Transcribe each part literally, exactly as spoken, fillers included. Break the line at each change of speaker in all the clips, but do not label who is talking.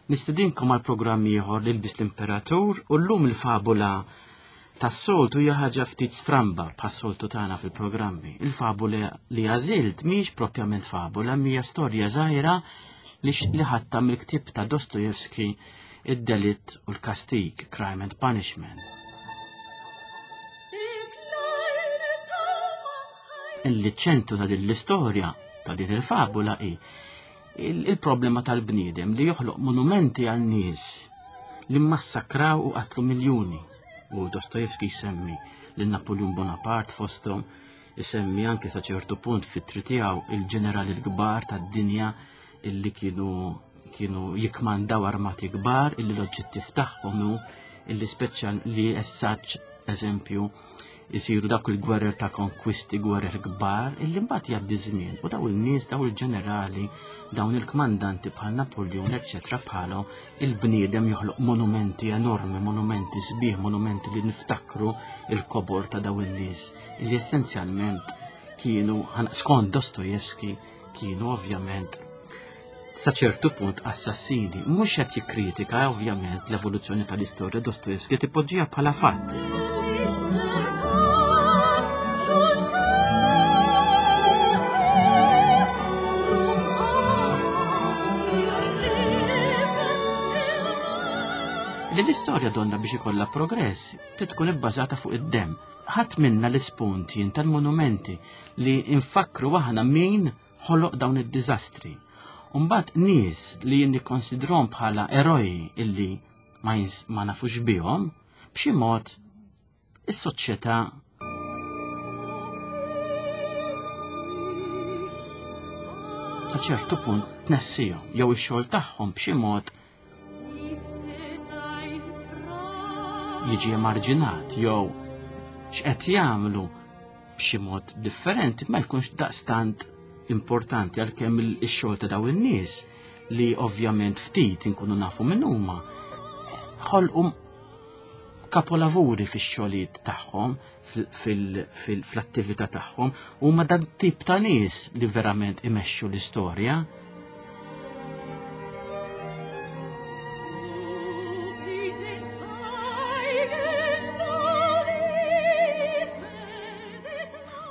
Nistedinkom għal programm ieħor li lbis l-Imperatur u llum il-fabula tas-soltu hija ħaġa ftit stramba bħas-soltu tagħna fil-programmi. Il-fabula li għażilt mhix propjament fabula, hija storja żgħira li li ħadtha mill-ktieb ta' Dostojevski id-Delitt u l-Kastig, Crime and Punishment. Il-ċentru ta' din l-istorja, ta' din il-fabula hi il-problema tal-bniedem li joħloq monumenti għal nies li massakraw u qatlu miljuni. U Dostojevski jsemmi lil Napoleon Bonaparte fosthom, isemmi anke sa ċertu punt fit-tri tiegħu il-ġenerali l-kbar tad-dinja illi kienu kienu jikmandaw armati kbar illi l-oġġettiv tagħhom hu illi speċjal li essaċ eżempju jisiru dak il-gwerer ta' konkwisti, gwerer kbar, illi mbagħad jgħaddi żmien u daw il-nies, daw il-ġenerali, dawn il-kmandanti bħal Napoleon, eċċetera bħalhom, il-bniedem joħloq monumenti enormi, monumenti sbieħ, monumenti li niftakru il-kobor ta' daw il-nies, illi essenzjalment kienu, skont Dostojevski, kienu ovvjament sa ċertu punt assassini. Mhux qed jikkritika ovvjament l-evoluzzjoni tal-istorja Dostojevski tipoġġiha bħala fatt. Li l-istorja donna biex ikollha progress trid tkun ibbażata fuq id-demm. Ħadd minna l-ispunti jien tal-monumenti li nfakru aħna min ħoloq dawn id-diżastri. Umbagħad nies li jien nikkonsidrhom bħala eroj illi ma, jins, ma nafux bihom, b'xi mod is-soċjetà sa ċertu punt tnessihom jew ix-xogħol tagħhom b'xi mod jiġi emarġinat jew x'qed jagħmlu b'xi mod differenti ma jkunx daqstant importanti għalkemm ix-xogħol ta' dawn in-nies li ovvjament ftit inkunu nafu min huma ħolqu kapolavuri fix-xogħlijiet tagħhom, fl-attività tagħhom, huma dan tip ta' nies li verament imexxu l-istorja.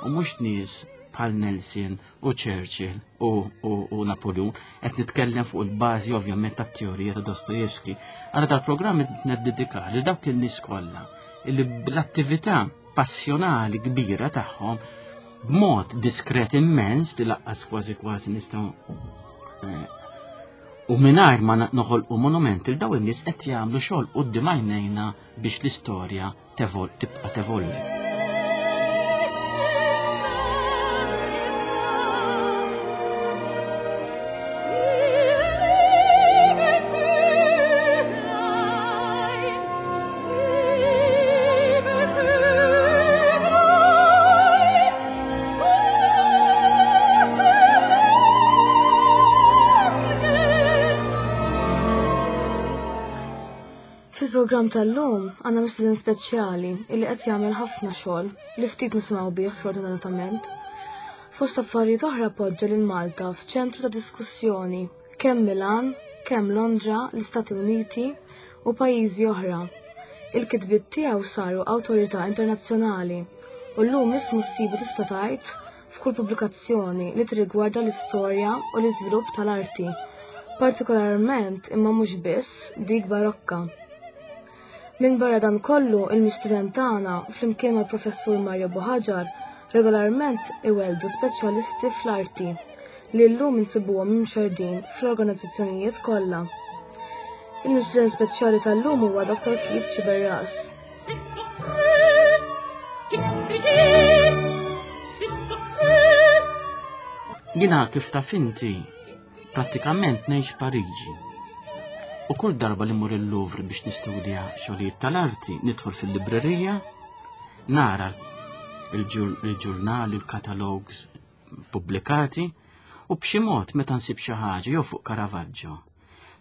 U mhux nies bħal Nelson u Churchill u, u, u Napoleon, qed nitkellem fuq il-bażi ovvjament tat-teorija ta' Dostojevski. Għara tal-programm neddedika li dawk in-nies kollha illi bl-attività passjonali kbira tagħhom b'mod diskret immens li laqqas kważi kważi nistgħu eh, u mingħajr ma noħolqu monumenti li dawn in-nies qed jagħmlu xogħol quddiem għajnejna biex l-istorja tibqa' tevolvi.
Fil-programm tal-lum għandna mistieden speċjali illi qed jagħmel ħafna xogħol li ftit nisimgħu bih sfortunatament. Fost affarijiet oħra poġġa lil Malta f'ċentru ta' diskussjoni kemm Milan, kemm Londra, l-Istati Uniti u pajjiżi oħra. Il-kitbiet tiegħu saru awtorità internazzjonali u llum ismu ssibu tista' tgħid f'kull pubblikazzjoni li tirrigwarda l-istorja u l-iżvilupp tal-arti, partikolarment imma mhux biss dik barokka. Minn barra dan kollu, il-mistieden tagħna flimkien mal-professur Mario Buhagiar regolarment iweldu speċjalisti fl-arti li llum insibuhom imxerdin fl-organizzazzjonijiet kollha. Il-mistieden speċjali tal-lum huwa Doktor Keith Sciberras.
Jiena kif taf inti prattikament ngħix Pariġi. U kull darba li mmur il-Louvre biex nistudja xogħlijiet tal-arti, nidħol fil-librerija, nara il-ġurnali, il-katalogs pubblikati, u b'xi mod meta nsib xi ħaġa jew fuq Caravaggio,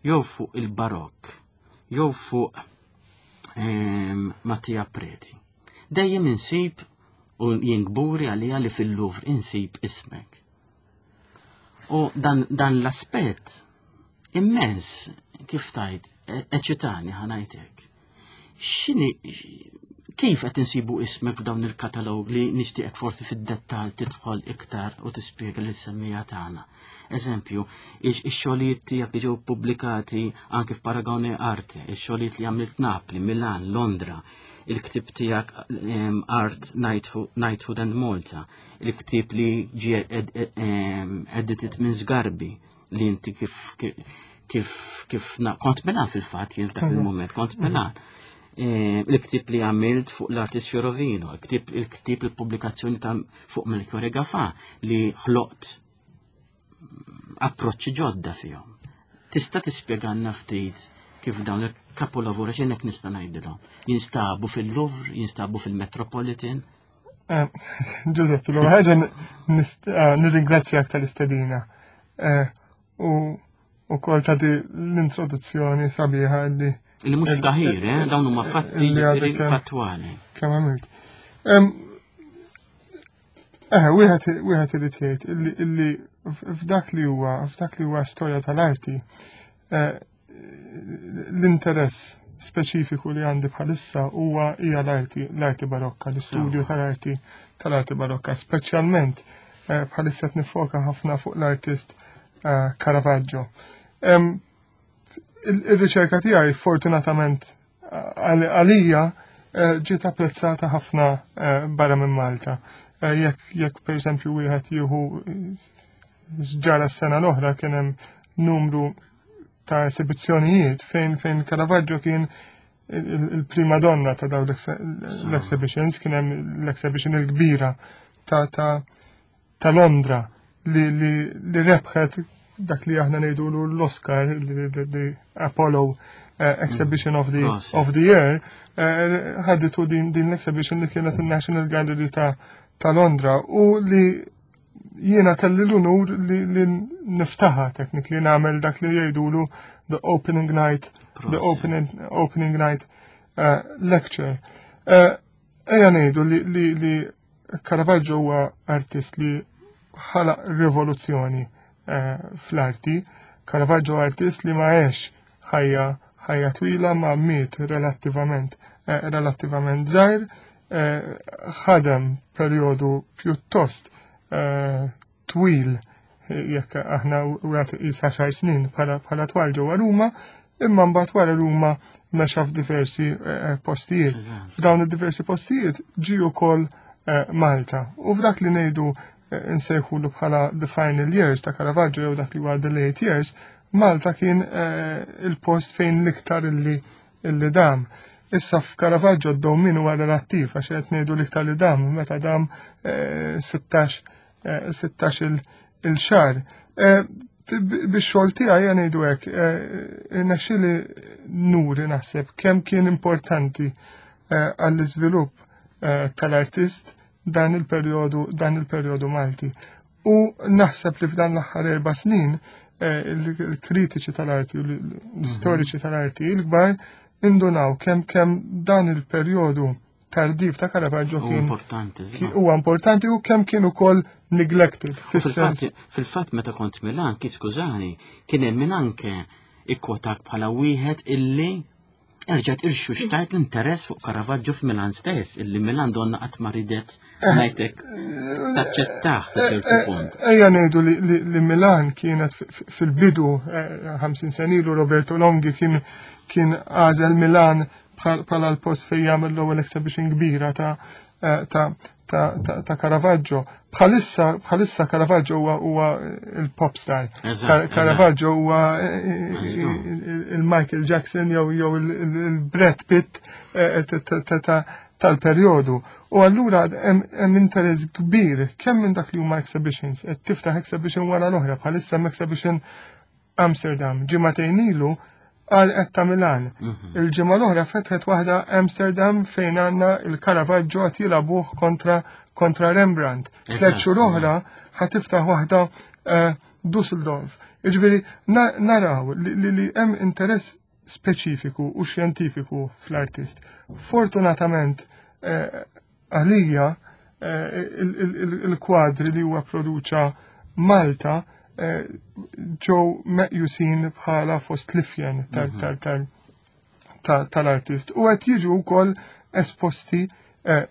jew fuq il-Barokk, jew fuq ehm, Mattia Preti. Dejjem insib u jien kburi għalija li fil-Louvre insib ismek. U dan, dan l-aspett immens kif tajt, eċitani ħa ngħidlek. X'inhi, kif qed insibu ismek f'dawn il-katalog li nixtieqek forsi fid-dettall tidħol iktar u tispjega lis-semmiegħa tagħna? Eżempju, ix-xogħlijiet tiegħek li ġew pubblikati anke f'Paragone Arte, ix-xogħlijiet li għamilt Napli, Milan, Londra, il-ktib tiegħek Art, Knighthood and Malta, il-ktib li ġie edited minn Sgarbi li inti kif kif kif kont Milan fil-fatt jien f'dak il-moment, kont Milan. Il-ktib li għamilt fuq l-artist Fiorovino, il-ktib il-ktib il-pubblikazzjoni ta' fuq Melchiorre Gafà li ħloqt approċċi ġodda fihom. Tista' tispjegalna ftit kif dawn il-kapolavori, x'inhekk nista' ngħidilhom, jinstabu fil-Louvre, jinstabu fil-Metropolitan?
Eh, Giuseppe, l ħaġa eh, nirringrazzjak tal-istedina. Eh, u u kol ta' di l-introduzzjoni sabiħa li
Li mhux taħir, eh? Dawn huma fatti fattwali.
Kemm għamilt. Eh, wieħed wieħed irid jgħid illi f'dak li huwa f'dak li huwa storja tal-arti, eh, l-interess speċifiku li għandi bħalissa huwa hija l-arti l-arti barokka, l-istudju tal-arti tal-arti barokka, speċjalment eh, bħalissa qed nifoka ħafna fuq l-artist eh, Caravaggio. Il-riċerka tiegħi fortunatament għalija ġiet apprezzata ħafna barra minn Malta. Jekk jekk pereżempju wieħed jieħu ġara s-sena l-oħra, kien hemm numru ta' esibizzjonijiet fejn fejn Caravaggio kien il-prima donna ta' daw l-exhibitions. Kien hemm l-exhibition il-kbira ta' ta' ta' Londra li, li, li rebħet dak li aħna ngħidulu l-Oscar, li Apollo uh, Exhibition of the, of the Year, ħaditu uh, din, din l-exhibition li kienet il-National Gallery ta', ta' Londra u li jiena kelli l-unur li, li niftaħa, technically nagħmel dak li jgħidulu the opening night, the opening, opening night uh, lecture. Uh, Ejja ngħidu li, li, li Caravaggio huwa artist li ħalaq rivoluzzjoni uh, fl-arti. Caravaggio artist li ma għex ħajja ħajja twila, ma miet relattivament uh, relattivament żgħir, uh, ħadem perjodu pjuttost uh, twil, jekk aħna u għat għaxar snin bħala twal ġewwa Ruma, imma mbagħad wara Ruma mexa f'diversi postijiet. F'dawn id-diversi postijiet ġi wkoll Malta. U f'dak li ngħidu nsejħulu bħala the final years ta' Caravaggio jew dak li huwa the late years, Malta kien il-post fejn l-iktar illi illi dam. Issa f'Caravaggio d-dewmien huwa relattiv, għax qed ngħidu l-iktar li dam meta dam sittax sittax il-xahar. Bix-xogħol tiegħi, ngħidu hekk, irnexxieli nuri naħseb kemm kien importanti għall-iżvilupp tal-artist dan il-perjodu dan il-perjodu Malti. U naħseb li f'dan l-aħħar erba' snin il-kritiċi tal-arti u l-istoriċi tal-arti il-kbar indunaw kemm kemm dan il-perjodu tardiv ta' Caravaggio kien
importanti.
Huwa importanti u kemm kien ukoll neglected.
Fis-sens fil-fatt meta kont Milan, kif skużani, kien hemm min anke ikkwotak bħala wieħed illi erġgħet irxuxtajt l-interess fuq Caravaggio f'Milan stess, illi Milan donna qatt ma ridet, ngħidlek, taċċettah sa ċertu punt.
Ejja ngħidu li, li Milan kienet fil-bidu, ħamsin sena ilu Roberto Longhi kien kien għażel Milan bħala l-post fejn jagħmel l-ewwel exhibition kbira ta' ta' ta' ta' ta' Caravaggio. Bħalissa bħalissa Caravaggio huwa huwa il-pop star. Caravaggio huwa il-Michael Jackson jew jew il-Brad Pitt tal-perjodu. U allura hemm interess kbir kemm minn dak li huma exhibitions, qed tiftaħ exhibition wara l-oħra, bħalissa hemm exhibition Amsterdam. Ġimagħtejn ilu għal qed ta' Milan. Il-ġimgħa l-oħra fetħet waħda Amsterdam fejn għandna il-Caravaggio qed jilagħbuh kontra kontra Rembrandt. Tliet xhur oħra ħa tiftaħ waħda Dusseldorf. Jiġifieri naraw li li hemm interess speċifiku u xjentifiku fl-artist. Fortunatament għalija il-kwadri li huwa produċa Malta eh, ġew meqjusin bħala fost l-ifjen mhm. tal-artist. U qed jiġu wkoll esposti, eh,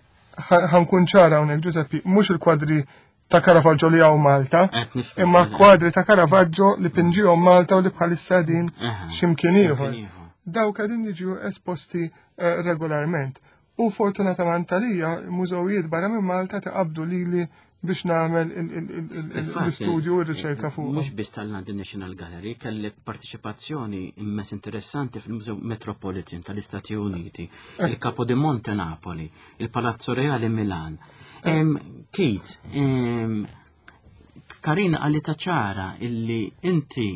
ħa nkun ċara hawnhekk, Giuseppe, mhux il-kwadri ta' Caravaggio li hawn Malta, imma kwadri ta' Caravaggio li pinġihom Malta u li bħalissa din x'imkien ieħor. Dawk qegħdin jiġu esposti eh, regolarment. U fortunatament għalija, mużewijiet barra minn Malta taqabdu lili biex nagħmel l-istudju u r-riċerka fuq.
Mhux biss tal-London National Gallery, kellek partiċipazzjoni immens interessanti fil-Mużew Metropolitan tal-Istati Uniti, eh. il-Capodimonte Napoli, il-Palazzo Reale Milan. Keith, Karina għalita ċara illi inti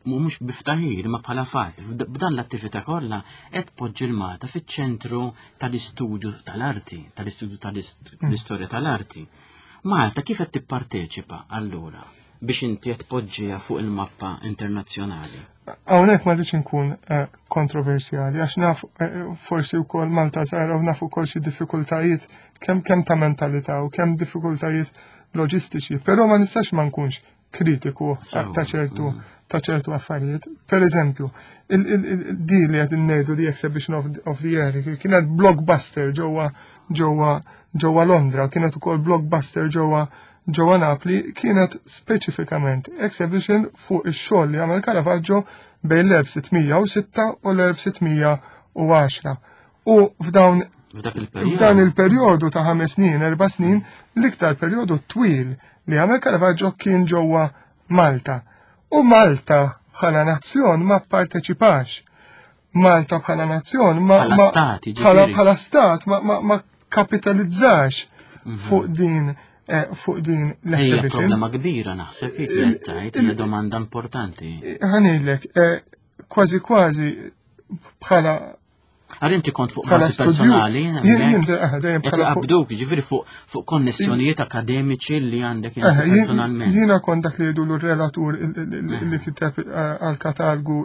mhux biftaħir ma bħala fatt, b'dan l-attività kollha qed poġġi l-Malta fiċ-ċentru tal-istudju tal-arti, tal-istudju tal-istorja tal-arti. Malta kif qed tipparteċipa allura biex inti qed tpoġġiha fuq il-mappa internazzjonali?
Hawnhekk ma rridx inkun eh, kontroversjali għax naf eh, forsi wkoll Malta żgħira u naf ukoll xi diffikultajiet kemm kemm ta' mentalità u kemm diffikultajiet loġistiċi, però ma nistax ma nkunx kritiku ta' ċertu mm. ta' ċertu affarijiet. Per eżempju, di li qed ngħidu di Exhibition of, of the Year kienet blockbuster ġewwa ġewwa ġewwa Londra, kienet ukoll blockbuster ġewwa ġewwa Napli, kienet speċifikament exhibition fuq ix-xogħol li għamel Caravaggio bejn l-elf sitt mija u sitta u l-elf sitt mija u għaxra. U f'dawn f'dan il-perjodu ta' ħames snin, erba' snin, l-iktar perjodu twil li għamel Caravaggio kien ġewwa Malta. U Malta bħala nazzjon ma parteċipax. Malta bħala nazzjon ma
bħala stat,
bħala stat ma, ma, ma kapitalizzax mhm. fuq din eh, fuq din
l-exhibition. Problema kbira naħseb kif qed tgħid, hija domanda importanti.
Ħa ngħidlek, eh, kważi kważi bħala
Għar inti kont fuq bażi personali, qabduk, ġifieri fuq konnessjonijiet akademiċi li għandek personalment.
Jiena kont dak li jgħidu l-relatur li kiteb eh, għal-katalgu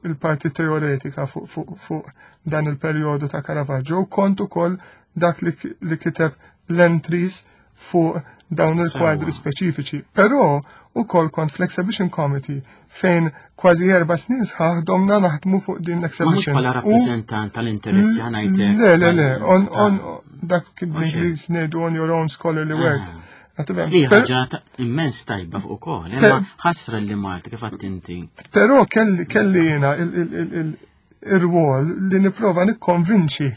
il-parti teoretika fuq dan il-perjodu ta' Caravaggio u kont ukoll dak li kiteb l-entries fuq dawn il-kwadri speċifiċi. Però ukoll kont fl-Exhibition Committee fejn kważi erba' snin sħaħ domna naħdmu fuq din l-exhibition.
Mhux bħala rappreżentant tal-interessi ħa ngħidlek.
Le, le, le, on, on, dak bl-Ingliż ngħidu on your own scholarly work.
Ah. Li ħaġa immens tajba fuq ukoll, imma ħasra li Malta kif inti.
Però kelli kelli jiena il-rwol li nipprova nikkonvinċi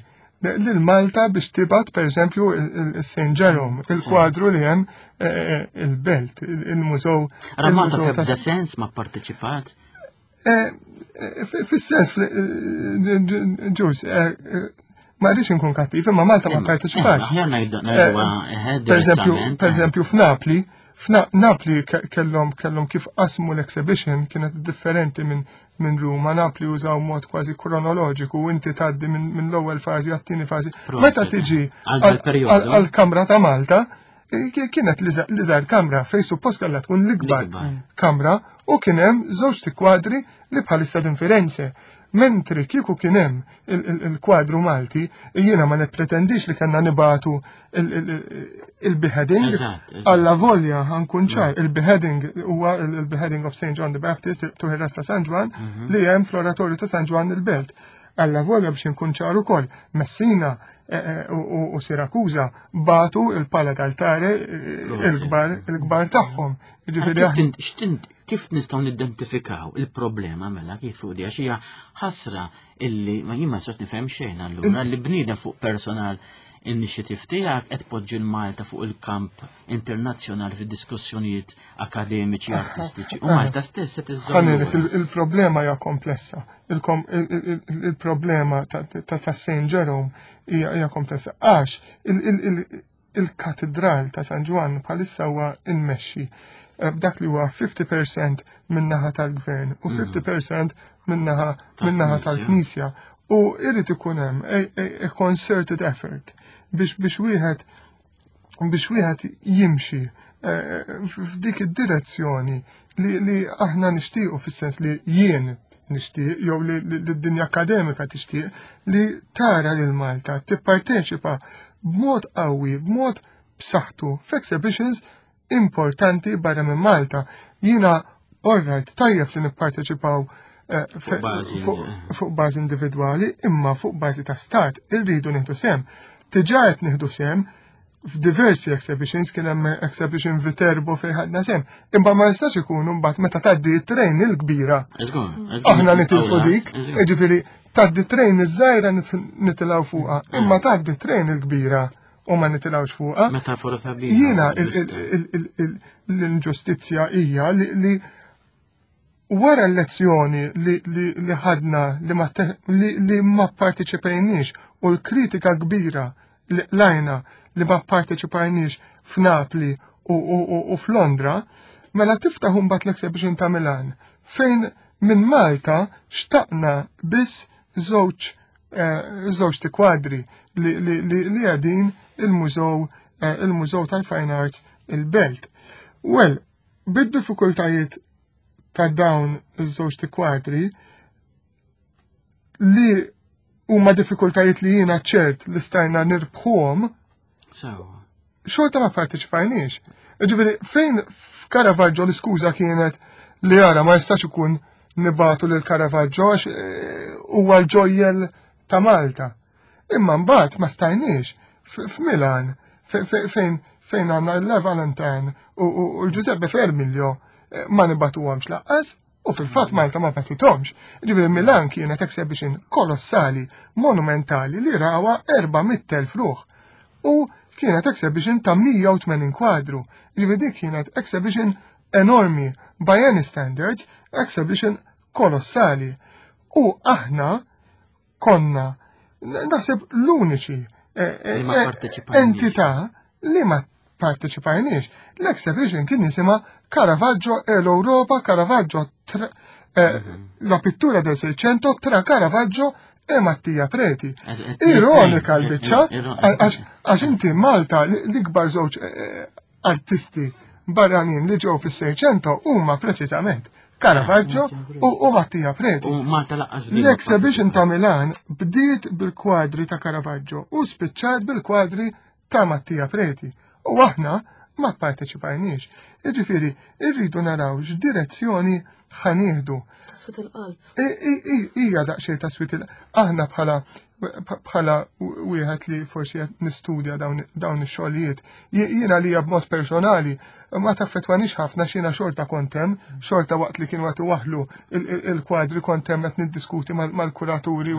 lil Malta biex tibgħat per eżempju il-Saint Jerome, il-kwadru li hemm eh, eh, il-Belt, il-mużew.
Ara Malta f'ebda sens ma parteċipat?
Eh, fis-sens, ġus, ma rridx inkun kattiv, imma Malta ma parteċipax.
Per
eżempju, per eżempju f'Napli, f'Napli kellhom kellhom kif qasmu l-exhibition kienet differenti minn minn Ruma. Napli użaw mod kważi kronoloġiku, inti tgħaddi minn l-ewwel fażi għat-tieni fażi. Meta tiġi għall-Kamra ta' Malta, kienet l-iżgħar kamra fej suppost kellha tkun l-ikbar kamra u kien hemm żewġ kwadri li bħalissa din Firenze. Mentri kieku kien hemm il-kwadru Malti, jiena ma nippretendix li kellna nibagħtu il-beheading. Alla volja ħa nkun ċar, il-beheading huwa il-beheading of Saint John the Baptist, tuħi ta' San Ġwan, mhm. li hemm fl-oratorju ta' San Ġwan il-Belt. Alla volja biex nkun ċar ukoll, Messina eh, eh, u Sirakuza bagħtu il-pala d'altare eh, il-kbar il-kbar tagħhom.
Kif nistgħu nidentifikaw il-problema mela kif fuq di, għax hija ħasra illi ma jien ma nistax nifhem xejn allura li bniedem fuq personal initiative tiegħek qed poġġi l-Malta fuq il-kamp internazzjonali fid-diskussjonijiet akademiċi, artistiċi. U Malta stess qed
iżżomm. Il-problema hija komplessa. Il-problema ta' Saint Jerome hija komplessa. Għax il-katedral ta' San Ġwann bħalissa huwa immexxi eh, b'dak li huwa fifty percent min-naħa tal-gvern u fifty percent min-naħa min-naħa tal-Knisja. U irrid ikun hemm a concerted effort biex biex wieħed biex wieħed jimxi eh, f'dik id-direzzjoni li, li aħna nixtiequ, fis-sens li jien nixtieq jew li d-dinja akademika tixtieq li tara lil Malta tipparteċipa b'mod qawwi, b'mod b'saħħtu f'exhibitions importanti barra minn Malta. Jiena, alright, tajjeb li nipparteċipaw eh,
Fuq bażi,
fuq bażi individwali, imma fuq bażi ta' stat irridu nieħdu sehem. Diġà qed nieħdu sehem f'diversi exhibitions, kien hemm exhibition Viterbo fejn ħadna sehem. Imma ma jistax ikunu mbagħad meta tgħaddi t-train il-kbira. Aħna nitilfu dik, jiġifieri tgħaddi train iż-żgħira nitilgħu fuqha, imma tgħaddi train il-kbira u ma nitilgħux fuqha.
Metafora sabiħa.
Jiena l-inġustizzja hija li wara l-lezzjoni li ħadna li ma parteċipajniex u l-kritika kbira li lajna li ma parteċipajniex f'Napli u f'Londra, mela tiftaħ mbagħad l-exhibition ta' Milan fejn minn Malta xtaqna biss żewġ żewġ kwadri li qegħdin il-mużew il-Mużew tal-Fine Arts il-Belt. Well, bid-diffikultajiet ta' dawn iż-żewġ kwadri li huma diffikultajiet li jiena ċert li stajna nirbħuhom, xorta ma parteċipajniex. Ġifieri, fejn f'Caravaggio l-iskuża kienet li jara ma jistax ikun nibagħtu lil Caravaggio għax huwa l-ġojjel ta' Malta. Imma mbagħad ma stajniex f'Milan fejn fejn għandna l Valentin u l-Giuseppe Vermiglio ma nibagħtuhomx lanqas u fil-fatt Malta ma bagħtithomx. Ġifieri Milan kienet exhibition kolossali, monumentali li rawa erba' mitt elf ruħ. U kienet exhibition ta' mija u tmenin kwadru. Ġifieri dik kienet exhibition enormi by any standards, exhibition kolossali. U aħna konna naħseb l-uniċi eh, eh, eh, entità li ma parteċipajniex. L-exhibition kien jisimha Caravaggio e l'Europa, Caravaggio tra, eh, la pittura del Seicento tra Caravaggio e Mattia Preti. Ironika l-biċċa, għax inti Malta l-ikbar żewġ artisti barranin li ġew fis-Seicento huma preċiżament Caravaggio u Mattia Preti.
U Malta lanqas
L-exhibition ta' Milan bdiet bil-kwadri ta' Caravaggio u spiċċat bil-kwadri ta' Mattia Preti. U aħna ma parteċipajniex. Jiġifieri, irridu naraw x'direzzjoni ħa nieħdu.
Taswit il-qalb.
Ija daqsxejn taswit il Aħna bħala bħala wieħed li forsi qed nistudja dawn ix-xogħlijiet. Jiena li b'mod personali ma taffetwanix ħafna xina xorta kontem, xorta waqt li kienu qed waħlu il-kwadri kontem qed niddiskuti mal-kuraturi.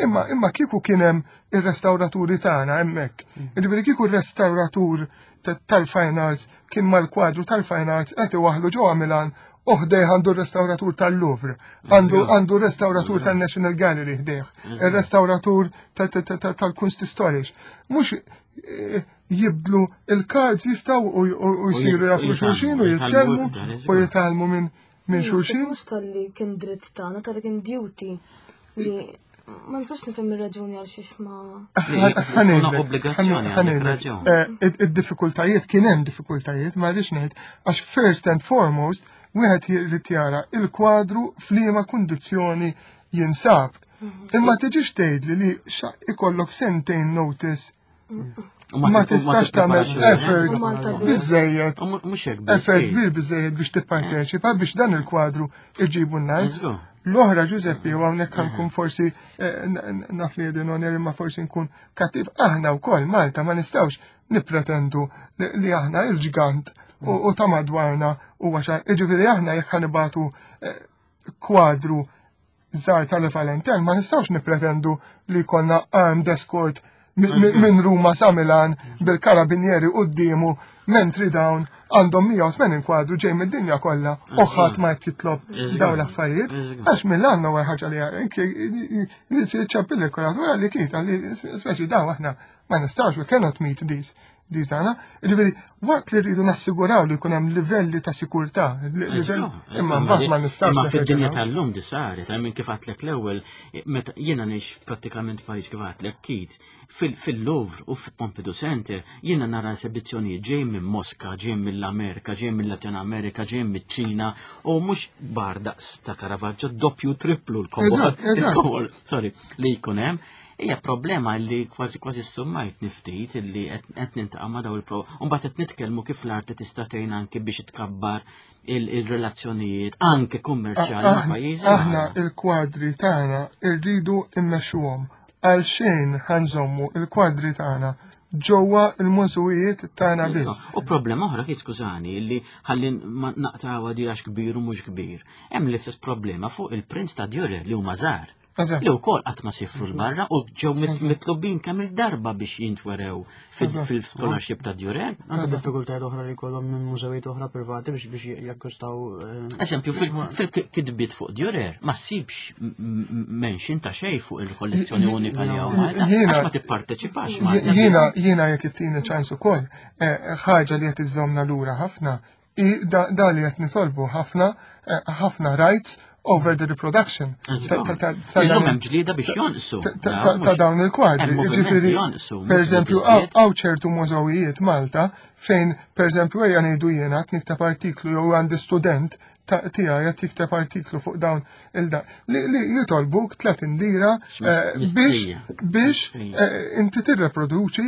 Imma imma kieku kien hemm ir-restawraturi tagħna hemmhekk. Jiġifieri kieku r-restawratur tal-Fine Arts kien mal-kwadru tal-Fine Arts qed iwaħlu ġewwa Milan u ħdejh għandu r-restauratur tal-Louvre, għandu għandu r-restauratur tal-National Gallery ħdejh, il-restauratur tal-Kunsthistorisch. Mhux eh, jibdlu il-cards jistaw u jisiru jafu xulxin u jitkellmu u jitgħallmu minn minn xulxin.
Mhux talli kien dritt tagħna, talli kien duty li ma nistax nifhem ir-raġuni għal xiex ma.
Obbligazzjoni.
Eh, id-diffikultajiet kien hemm diffikultajiet, ma rridx ngħid, għax first and foremost wieħed jrid jara il-kwadru f'liema kundizzjoni jinsab. Imma tiġix tgħidli li ikollok sentejn notice ma tistax tagħmel effort biżejjed. Effort kbir biżejjed biex tipparteċipa biex dan il-kwadru iġibu n-nar. L-oħra, Giuseppe, u hawnhekk nkun forsi eh, naf li jedin imma forsi nkun kattiv, aħna wkoll Malta ma nistgħux nippretendu li aħna il-ġgant u ta' madwarna u għaxa. Ġifieri aħna jekk ħa nibagħtu eh, kwadru żgħar tal-Valentin ma nistgħux nippretendu li konna armed escort minn Ruma sa Milan bil-karabinieri quddiemu mentri dawn għandhom mija u tmenin kwadru ġej mid-dinja kollha u ħadd ma qed jitlob dawn l-affarijiet. Għax Milan huwa ħaġa li ċappil il-kuratura li kita li speċi dawn aħna ma nistgħux, we cannot meet these these dana. Ġifieri, waqt li rridu nassiguraw li jkun hemm livelli ta' sikurtà, imma mbagħad ma nistgħux.
Imma fid-dinja tal-lum di saret, minn kif għedtlek l-ewwel, meta jiena ngħix prattikament Paris kif għedtlek Kit, fil-Louvre u fil-Pompidou Center, jiena nara esibizzjonijiet ġej minn Moska, ġej mill-Amerika, ġej mill-Latin Amerika, ġej mill-Ċina, u mhux bar daqs ta' Caravaggio, doppju, triplu l-kobor, sorry, li jkun hemm. Hija problema li kważi kważi summajt niftit li qed nintaqa' ma' daw il-pro. Mbagħad qed nitkellmu kif l-arti tista' tgħin anke biex tkabbar il-relazzjonijiet anke kummerċjali ma' pajjiżi.
Aħna il-kwadri tagħna rridu immexxuhom għal xejn ħa nżommu il-kwadri tagħna ġewwa il-mużewijiet tagħna biss.
U problema oħra kif skużani li ħalli naqtgħuha di għax kbir u mhux kbir. Hemm l-istess problema fuq il-prints ta' Dürer li huma żgħar. Li wkoll qatt ma sifru l-barra u ġew mitlubin kemm il-darba biex jintwerew fil-scholarship ta' Dürer.
Anke diffikultajiet oħra li jkollhom minn mużewijiet oħra privati biex biex jakkwistaw.
Eżempju, fil-kitbiet fuq Dürer ma ssibx mention ta' xejn fuq il-kollezzjoni unika li hawn Malta. Għax ma tipparteċipax
Malta. Jiena jiena jekk ittini ċans ukoll ħaġa li qed iżżommna lura ħafna da li qed nitolbu ħafna ħafna rights over the reproduction.
Illum hemm ġlieda biex jonqsu.
Ta' dawn il-kwadri. Ġifieri, per eżempju, hawn ċertu mużewijiet Malta fejn, per eżempju, ejja ngħidu jiena qed nikteb artiklu jew għandi student tiegħi qed jikteb artiklu fuq dawn il-da li jitolbuk tletin lira biex biex inti tirreproduċi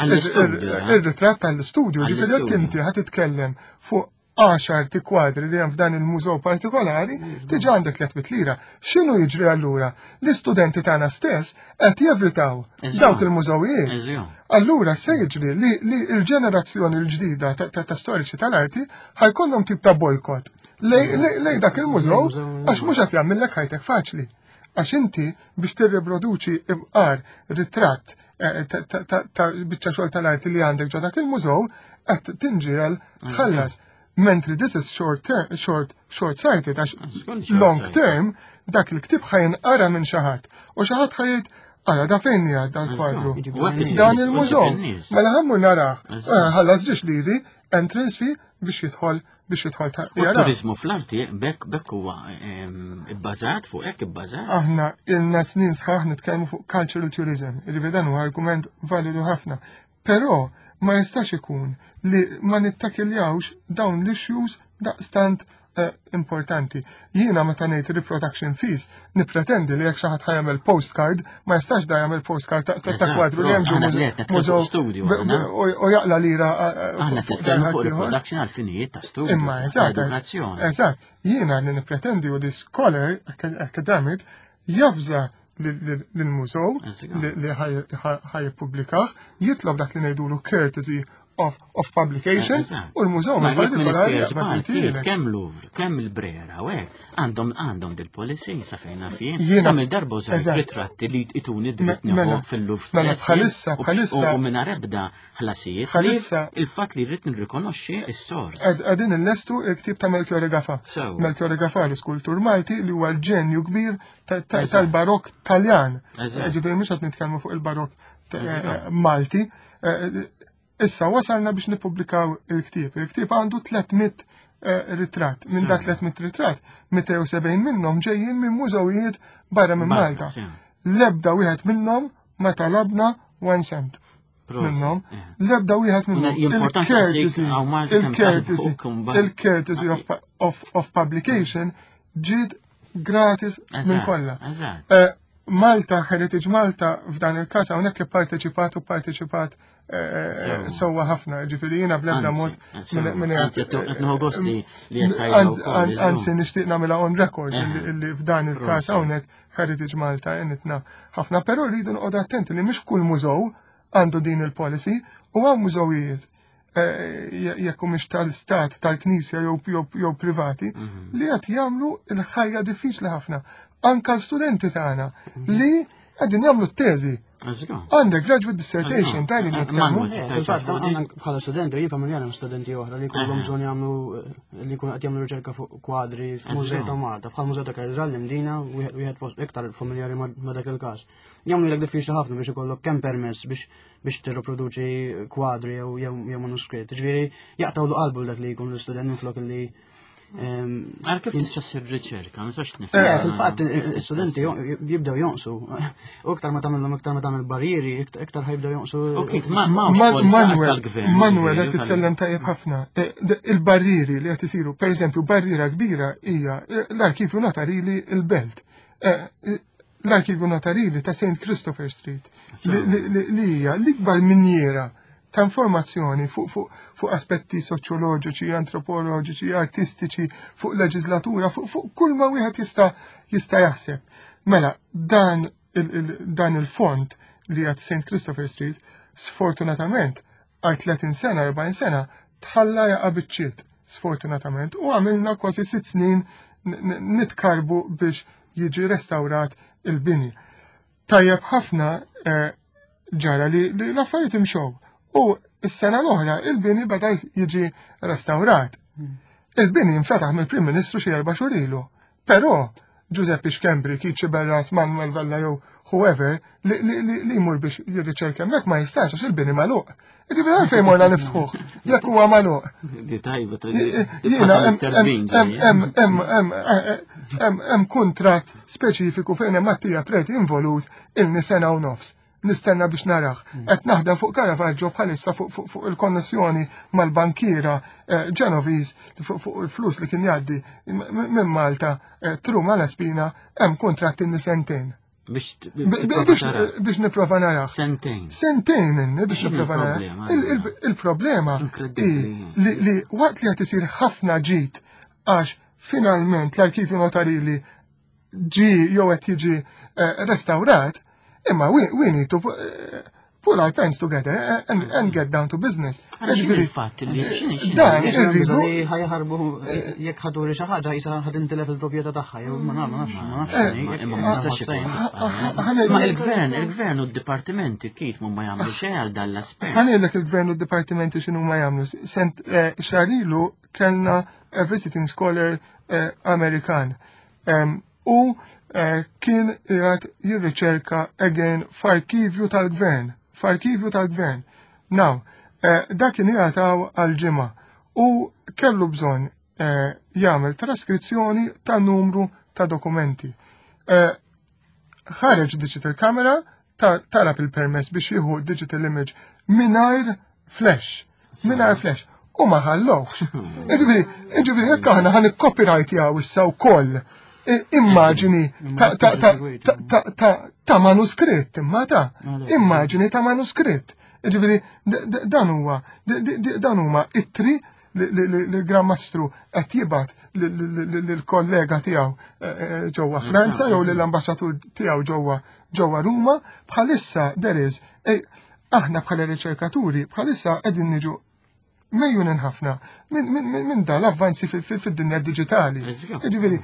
il-ritratt tal-istudju. Ġifieri jekk inti ħa titkellem fuq għaxar ti kwadri li hemm f'dan il-mużew partikolari, diġà għandek tliet mitt lira. X'inhu jiġri allura? L-istudenti tagħna stess qed jevitaw dawk il-mużewijiet. Allura se jiġri li l-ġenerazzjoni l-ġdida ta' storiċi tal-arti ħa jkollhom tip ta' bojkott lej dak il-mużew għax mhux qed jagħmellek ħajtek faċli. Għax inti biex tirriproduċi imqar ritratt ta' biċċa xogħol tal-arti li għandek ġo dak il-mużew qed tinġiel tħallas. Mentri this is short term, short, short sighted, għax long term dak il-ktib ħa jinqara minn xi ħadd. U xi ħadd ħa jgħid, ara da fejn hija dal-kwadru. Dan il-mużew. Mela ħa mmur narah. Ħallas ġiex liri entrance fee biex jidħol biex jidħol ta'
jara. Turizmu fl-arti bekk bekk huwa ibbażat fuq hekk ibbażat.
Aħna ilna snin sħaħ nitkellmu fuq cultural tourism, li dan huwa argument validu ħafna. Però ma jistax ikun li ma nittakkiljawx dawn l-issues daqstant eh, importanti. Jiena meta ngħid reproduction fees, nippretendi li jekk xi ħadd ħa jagħmel postcard, ma jistax da jagħmel postcard ta' kwadru li hemm ġo
studio
u jaqla lira.
Aħna nitkellmu fuq reproduction għal finijiet ta' studio.
Imma eżatt. Eżatt. Jiena li nippretendi u li scholar academic jafża l-mużew li ħa jippubblikah, jitlob dak li ngħidulu courtesy of, of publication u l-mużew
ma partikolari kemm Louvre, kemm il-Brera, u hekk għandhom għandhom dil-policy sa fejna fien. Kemm il-darba użajt ritratti li ituni dritt nieħu fil-Louvre.
Mela bħalissa bħalissa
u mingħajr ebda ħlasijiet.
Bħalissa
il-fatt li rrid nirrikonoxxi s-sors.
Qegħdin illestu il-ktib ta' Melchiorre Gafà. Melchiorre Gafà l-iskultur Malti li huwa l-ġenju kbir tal-barok Taljan. Ġifieri mhux qed nitkellmu fuq il-barok Malti. Issa wasalna biex nippubblikaw il-ktieb. Il-ktieb għandu tliet mitt ritratt. Minn da tliet mitt ritratt, mitejn u sebgħin minnhom ġejjin minn mużewijiet barra minn Malta. L-ebda wieħed minnhom ma talabna one cent. Minnhom, l-ebda wieħed minnhom. Il-courtesy, il-courtesy of, of, of publication ġiet gratis minn kollha. Malta, Heritage Malta, f'dan il-każ hawnhekk ipparteċipat u parteċipat sewwa ħafna, ġifieri jiena bl-ebda mod anzi nixtieq nagħmilha on record illi f'dan il-każ hawnhekk Heritage Malta għenitna ħafna, però rridu noqogħdu attenti li mhux kull mużew għandu din il-policy u hawn mużewijiet jekk mhux tal-istat, tal-knisja jew privati li qed jagħmlu l-ħajja diffiċli ħafna. Anka l-studenti tagħna li qegħdin jagħmlu t-teżi. Għandek graduate dissertation ta' li nitkellmu.
Bħala studenti, jien familjari ma' studenti oħra li jkollhom bżonn jagħmlu li jkunu qed jagħmlu riċerka fuq kwadri f'Mużew ta' Malta, bħal Mużew ta' Katedral l-Imdina, wieħed fost iktar familjari ma' dak il-każ. Jagħmlu lek diffiċli ħafna biex ikollok kemm permess biex biex tirriproduċi kwadri jew jew manuskritt. Ġifieri jaqtgħu qalbu dak li jkun l-istudent minflok li
Għal kif tista' ssir riċerka, ma nistax nifhem.
Eh, fil-fatt l-istudenti jibdew jonqsu. U iktar ma tagħmilhom iktar ma tagħmel barrieri, iktar ħa jibdew jonqsu.
Ok, ma tal-gvern.
Manuel qed titkellem tajjeb ħafna. Il-barrieri li qed isiru, pereżempju, barriera kbira hija l-arkivju notarili il-Belt. L-Arkivju Notarili ta' Saint Christopher Street li hija l-ikbar minjiera ta' informazzjoni fuq fu, fu aspetti soċjoloġiċi, antropoloġiċi, artistiċi, fuq leġislatura, fuq fu kull ma wieħed jista' jista' jaħseb. Mela, dan il, il, dan il-fond li għad Saint Christopher Street, sfortunatament, għal tletin sena, erbgħin sena, tħalla jaqa' biċċiet, sfortunatament, u għamilna kważi sitt snin nitkarbu biex jiġi restawrat il-bini. Tajjeb ħafna ġara li l-affarijiet imxew. U s-sena l-oħra il-bini beda jiġi restawrat. Il-bini infetaħ mill-Prim Ministru xi erba' xhur ilu. Però Giuseppe Schembri, Keith Sciberras, Manuel Vella jew whoever li li jmur biex jirriċerka hemmhekk ma jistax għax il-bini magħluq. Jiġifieri għalfejn morna niftħuh jekk huwa magħluq.
Di tajba.
Jiena hemm kuntratt speċifiku fejn hemm Mattia Preti involut ilni sena u nofs. Nistenna biex narax. Qed naħdem fuq Caravaggio bħalissa fuq il-konnessjoni mal-bankiera Genovese fuq il-flus li kien jgħaddi minn Malta through Malaspina, hemm kuntratt inni sentejn. Biex nipprova narax.
Sentejn.
Sentejn inni biex nipprova narax. Il-problema li waqt li qed isir ħafna ġid għax finalment l-arkivju notarili ġi jew qed jiġi restawrat, imma we, we need to pull our pens together and, and get down to business.
Il-fatt li
Dan irridu
ħa jaħarbu jekk ħa turi xi ħaġa jisa ħa tintilef il-proprjetà tagħha jew ma nafx ma nafx.
Ma il-gvern, il-gvern u d-dipartimenti kif ma jagħmlu xejn għal dan l-aspett.
Ħa ngħidlek il-gvern u d-dipartimenti x'inhu ma jagħmlu. Sent xahar ilu kellna visiting scholar Amerikan. U kien qiegħed jirriċerka again f'arkivju tal-gvern, f'arkivju tal-gvern. Now, dak kien qiegħed għal ġimgħa u kellu bżonn jagħmel traskrizzjoni ta' numru ta' dokumenti. Ħareġ digital camera, talab il-permess biex jieħu digital image mingħajr flash, mingħajr flash. U ma ħallowx. Ġifieri, ġifieri, jekk aħna ħa nikkopyright jaw issa wkoll immaġini ta' manuskritt, imma ta' immaġini ta' manuskritt. Ġifieri, dan huwa, dan huma ittri li Gran Mastru qed jibgħat lill-kollega tiegħu ġewwa Franza jew lill-ambaxxatur tiegħu ġewwa ġewwa Ruma, bħalissa there is aħna bħala riċerkaturi bħalissa qegħdin niġu mejjunin ħafna minn da l-avvanzi fid-dinja digitali. Ġifieri,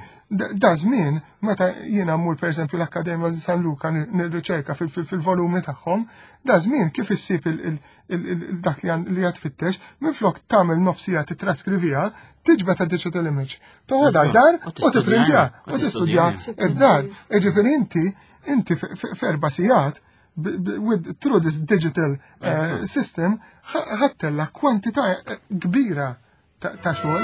da żmien meta jiena mmur pereżempju l-Akkademja San Luca nirriċerka fil-volumi tagħhom, da żmien kif issib dak li qed tfittex, minflok tagħmel nofsija titraskriviha, tiġbed digital image. Toħodha d-dar u tipprintja u tistudja id-dar. Ġifieri inti inti f'erba' sigħat with through this digital uh, system ħa ttella' kwantità kbira ta' xogħol.